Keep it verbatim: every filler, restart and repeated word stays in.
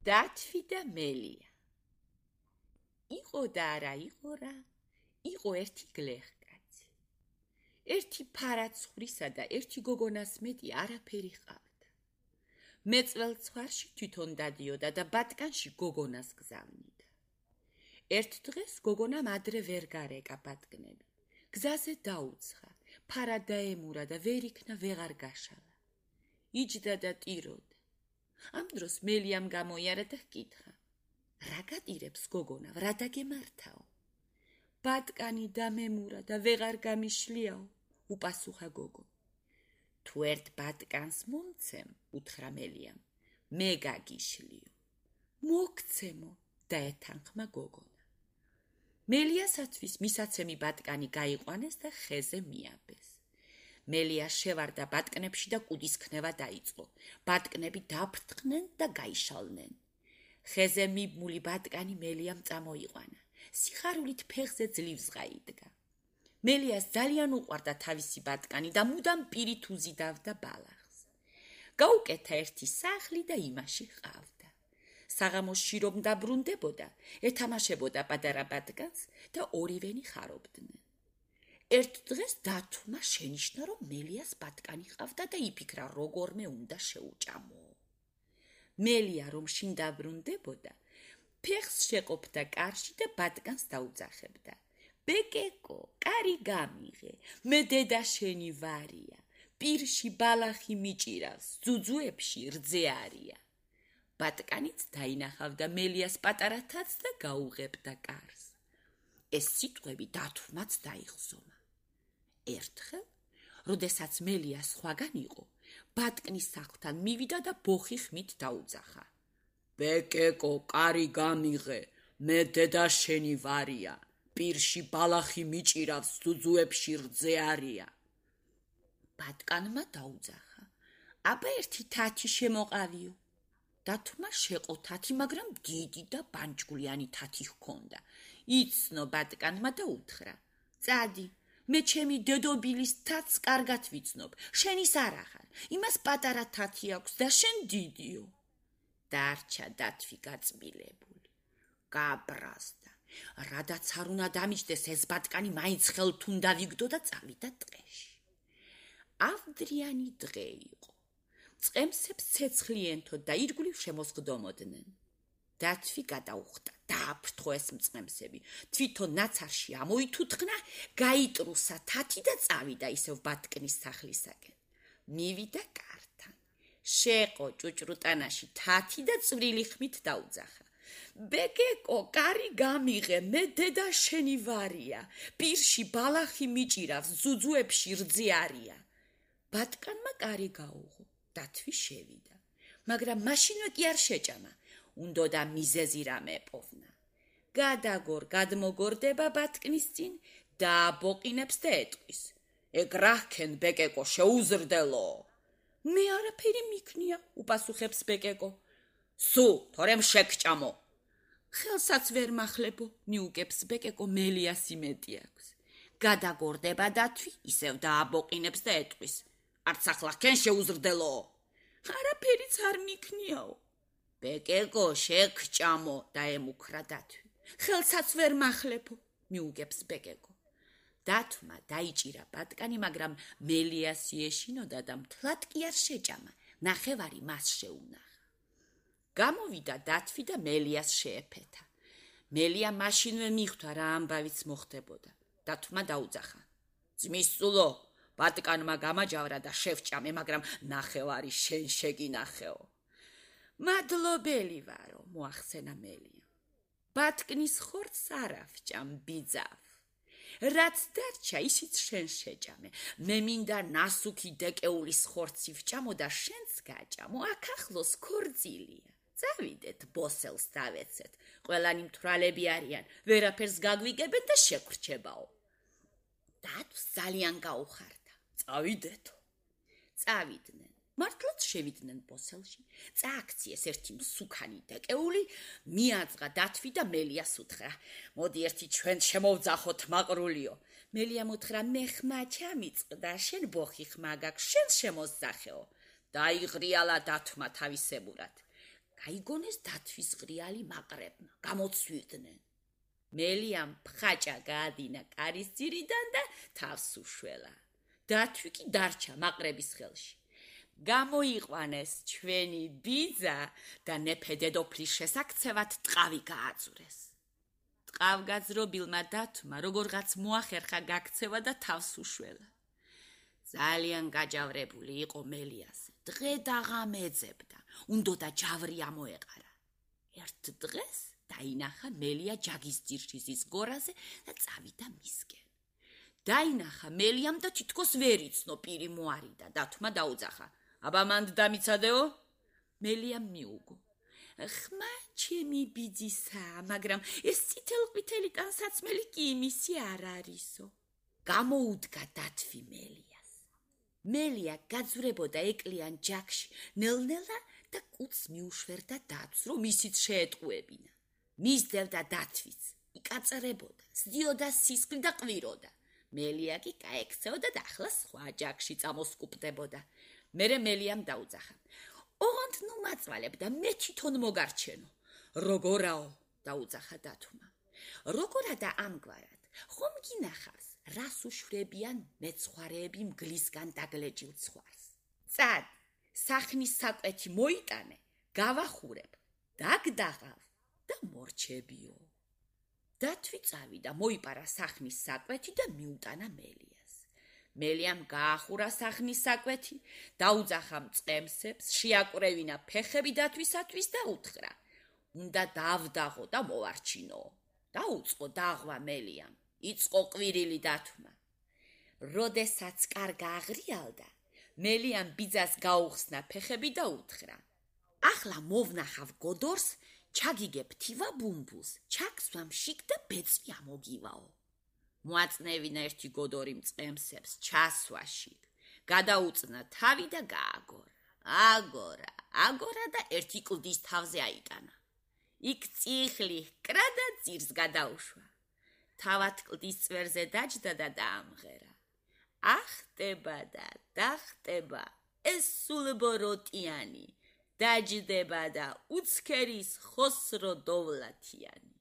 დათვი და მელია. იყო და არა იყო რა, იყო ერთი გლეხკაცი. ერთი ფარაცხრისა და ერთი გოგონას მეტი არაფერი ჰყავდა. მეწველ ცხვარში თვითონ დადიოდა და ბატკანში გოგონას გზავნიდა. ერთ დღეს გოგონამ ადრე ვერ გარეკა ბატკნები. გზაზე დაუცხა, ფარა დაემურა და ვერ იქნა ვეღარ გაშალა. იჯდა და ტიროდა. ამ დროს მელიამ გამოიარა და ჰკითხა: რა გატირებს გოგონა, რა დაგემართაო? ბატკანი დამემურა და ვეღარ გამიშლიაო, უპასუხა გოგო. თუ ერთ ბატკანს მომცემ, უთხრა მელიამ, მე გაგიშლიო. მოგცემო, დაეთანხმა გოგონა. მელიასათვის მისაცემი ბატკანი გაიყვანეს და ხეზე მიაბეს. მელია შევარდა ბატკნებში და კუდის ქნება დაიწყო. ბატკნები დაფრთხნენ და გაიშალნენ. ხეზე მიბმული ბატკანი მელიამ წამოიყვანა. სიხარულით ფეხზე ძლივსღა იდგა. მელიას ძალიან უყვარდა თავისი ბატკანი და მუდამ პირით უზიდავდა ბალახს. გაუკეთა ერთი სახლი და იმაში ჰყავდა. საღამოში რომ დაბრუნდებოდა, ეთამაშებოდა პატარა ბატკანს და ორივენი ხარობდნენ. ერთ დღეს დათვმა შენიშნა, რომ მელიას ბატკანი ჰყავდა და იფიქრა, როგორმე უნდა შეუჭამო. მელია რომ შინ დაბრუნდებოდა, ფეხს შეყოფდა კარში და ბატკანს დაუძახებდა. ბეკეკო, კარი გამიღე, მე დედა შენი ვარია, პირში ბალახი მიჭირავს, ძუძუებში რძე არია. ბატკანიც დაინახავდა მელიას პატარა თათს და გაუღებდა კარს. ეს სიტყვები დათვმაც დაიხსომა. ერთხელ, როდესაც მელია სხვაგან იყო, ბატკნის სახლთან მივიდა და ბოხი ხმით დაუძახა. ბეკეკო, კარი გამიღე, მე დედა შენი ვარია, პირში ბალახი მიჭირავს, ძუძუებში რძე არია. ბატკანმა დაუძახა. აბა ერთი თათი შემოყავიო. დათვმა შეყო თათი, მაგრამ დიდი და ბანჯგვლიანი თათი ჰქონდა. იცნო ბატკანმა და უთხრა: წადი, მე ჩემი დედობილის თათს კარგად ვიცნობ, შენის არ ახარ, იმას პატარა თათი აქვს და შენ დიდიო. დარჩა დათვი გაწმილებული. გაბრაზდა. რადაც არ უნდა დამიჯდეს ეს ბატკანი მაინც ხელთ უნდა ვიგდო და წავიდა ტყეში. ავდრიანი დღე იყო. წყემსებს ცეცხლი ენთო და ირგვლივ შემოსხდომოდნენ. დათვი გადაუხდა, დააფრთხო ეს მწყემსები, თვითონ ნაცარში ამოითუთხნა, გაიტრუსა თათი და წავიდა ისევ ბატკნის სახლისაკენ. მივიდა კართან. შეყო ჭუჭრუტანაში თათი და წვრილი ხმით დაუძახა. ბეკეკო, კარი გამიღე, მე დედა შენი ვარია, პირში ბალახი მიჭირავს, ძუძუებში რძე არია. ბატკანმა კარი გაუღო. დათვი შევიდა, მაგრამ მაშინვე კი არ შეჭამა, უნდოდა მიზეზი რამე ეპოვნა. გადაგორ, გადმოგორდება ბატკნის წინ და აბოყინებს და ეტყვის: ეგ რა ჰქენ, ბეკეკო, შეუზრდელო. მე არაფერი მიქნია, უპასუხებს ბეკეკო. სუ, თორემ შეგჭამო. ხელსაც ვერ მახლებო, მიუგებს ბეკეკო, მელიას იმედი აქვს. გადაგორდება დათვი, ისევ დააბოყინებს და ეტყვის: არც ახლა ჰქენ, შეუზრდელო. არაფერიც არ მიქნიაო. ბეკეკო, შეგჭამო, დაემუქრა დათვი. ხელსაც ვერ მახლებო, მიუგებს ბეკეკო. დათვმა დაიჭირა ბატკანი, მაგრამ მელიას იეშინოდა და მთლად კი არ შეჭამა, ნახევარი მას შეუნახა. გამოვიდა დათვი და მელიას შეეფეთა. მელია მაშინვე მიხვდა, რა ამბავიც მოხდებოდა. დათვმა დაუძახა: ძმის სულო, ბატკანმა გამაჯავრა და შევჭამე, მაგრამ ნახევარი შენ შეგინახეო. მადლობელი ვარო, მოახსენა მელია. ბატკნის ხორცს არ ავჭამ, ბიძავ. რაც დარჩა, ისიც შენ შეჭამე. მე მინდა ნასუქი დეკეულის ხორცი ვჭამო და შენც გაჭამო, აქ ახლოს ქორწილია. წავიდეთ, ბოსელს დავეცეთ. ყველანი მთვრალები არიან, ვერაფერს გაგვიგებენ და შეგვრჩებაო. დათვს ძალიან გაუხარდა. წავიდეთო. წავიდნენ. მართლაც შევიდნენ ბოსელში. წააქციეს ერთი მსუქანი დეკეული, მიაძღა დათვი და მელიას უთხრა: მოდი ერთი ჩვენ შემოვძახოთ მაყრულიო. მელიამ უთხრა: მე ხმა ჩამიწყდა, შენ ბოხი ხმა გაქვს, შენ შემოსძახეო. დაიღრიალა დათვმა თავისებურად. გაიგონეს დათვის ღრიალი მაყრებმა, გამოცვიდნენ. მელიამ ფხაჭა გაადინა კარის ძირიდან და თავს უშველა. დათვი კი დარჩა მაყრების ხელში. გამოიყვანეს ჩვენი ბიძა და ნეფე დედოფლის შესაქცევად ტყავი გააძურეს. ტყავგაძრობილმა დათვმა როგორღაც მოახერხა გაქცევა და თავს უშველა. ძალიან გაჯავრებული იყო მელიაზე. დღე დაღამეძებდა, უნდოდა ჯავრი ამოეყარა. ერთ დღეს დაინახა მელია ჯაგის ძირშიზის გორაზე და წავიდა მისკენ. დაინახა მელიამ და თითქოს ვერ იცნო პირი მოარიდა. დათვმა დაუძახა. აბა მანდ დამიცადეო? მელიამ მიუგო. ხმა ჩემი ბიძისა, მაგრამ ეს წითელყვითელი ტანსაცმელი კი იმისი არ არისო. გამოუდგა დათვი მელიას. მელია გაძვრებოდა ეკლიან ჯაგში, ნელ-ნელა და კუც მიუშვერდა დათვს, რომ ისიც შეეტყუებინა. მისდევდა დათვიც, იკაწრებოდა, სდიოდა სისხლი და ყვიროდა. მელია კი გაექცეოდა და ახლა სხვა ჯაგში წამოსკუპდებოდა. მერე მელიამ დაუძახა. ოღონდ ნუ მაწვალებ და მე თვითონ მოგარჩენო. როგორაო? დაუძახა დათვმა. როგორა და ამგვარად, ხომ გინახავს, რას უშვებიან მეცხვარეები მგლისგან დაგლეჯილ ცხვარს. წად, სახნის საკვეთი მოიტანე, გავახურებ, დაგდაღავ და მორჩებიო. დათვი წავიდა, მოიპარა სახნის საკვეთი და მიუტანა მელიას. მელიამ გაახურა სახნის საკვეთი, დაუძახა მწყემსებს, შეაკვრევინა ფეხები დათვისათვის და უთხრა. უნდა დავდაღო და მოვარჩინო. დაუწყო დაღვა მელიამ, იწყო ყვირილი დათვმა. როდესაც კარგა აღრიალდა, მელიამ ბიძას გაუხსნა ფეხები და უთხრა. ახლა მოვნახავ გოდორს, ჩაგიგებ თივა ბუმბულს, ჩაგსვამ შიგ და ბეწვი ამოგივაო. მოაწნევინა ერთი გოდორი მწყემსებს, ჩასვა შიგ, გადაუწნა თავი და გააგორა. აგორა, აგორა და ერთი კლდის თავზე აიტანა. იქ წიხლი ჰკრა და ძირს გადაუშვა. თავად კლდის წვერზე დაჯდა და დაამღერა. ახტება და დახტება, ეს სულბოროტიანი, დაჯდება და უცქერის ხოსრო დოვლათიანი.